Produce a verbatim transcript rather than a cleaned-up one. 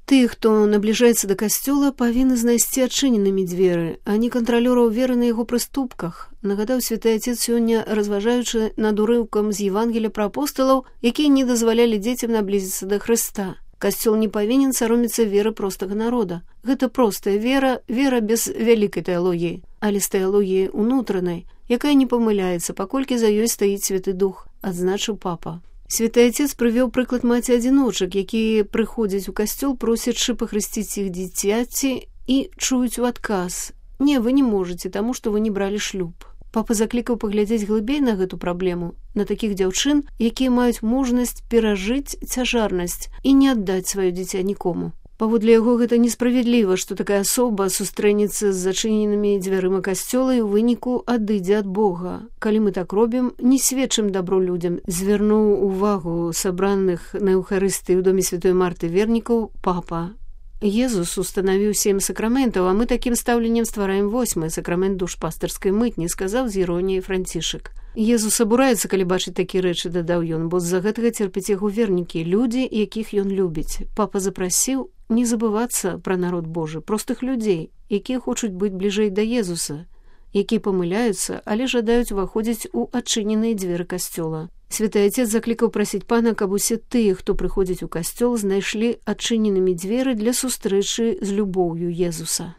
Тыя, хто набліжаецца да касцёла, павінны знайсці адчыненымі дзверы, а не кантралёраў веры на яго прыступках, нагадаў святы Отец сёння, разважаючы над урыўкам з Евангелія пра апосталаў, якія не дазвалялі дзецям наблізіцца да Хрыста. Касцёл не павінен саромецца веры простага народа. Гэта простая вера, вера без вялікай тэалогіі, але з тэалогіяй унутранай, якая не памыляецца, паколькі за ёй стаіць Святы Дух, адзначыў папа. Святы Отец прывёў прыклад маці-адзіночак, якія прыходзяць у касцёл, просячы пахрысціць іх дзіцяці і чуюць у адказ: «Не, вы не можаце, таму што вы не бралі шлюб». Папа заклікаў паглядзець глыбей на гэту праблему, на такіх дзяўчын, якія маюць мужнасць перажыць цяжарнасць і не аддаць сваё дзіця нікому. Паводле яго, гэта несправядліва, што такая асоба сустрэнецца з зачыненымі дзвярыма касцёла і ў выніку адыдзе ад Бога. Калі мы так робім, не сведчым дабро людзям, звярнуў увагу сабраных на Еўхарыстыі ў доме святой Марты вернікаў папа. Езус устанавіў сем сакраментаў, а мы такім стаўленнем ствараем восьмы сакрамент душпастырскай мытні, сказаў з іроніяй Францішак. Езус абураецца, калі бачыць такія рэчы, дадаў ён, бо з-за гэтага церпяць яго вернікі, людзі, якіх ён любіць. Папа запрасіў не забывацца пра народ Божы, простых людзей, якія хочуць быць бліжэй да Езуса, якія памыляюцца, але жадаюць уваходзіць у адчыненыя дзверы касцёла. Святы Отец заклікаў прасіць пана, каб усе тыя, хто прыходзіць у касцёл, знайшлі адчыненымі дзверы для сустрэчы з любоўю Езуса.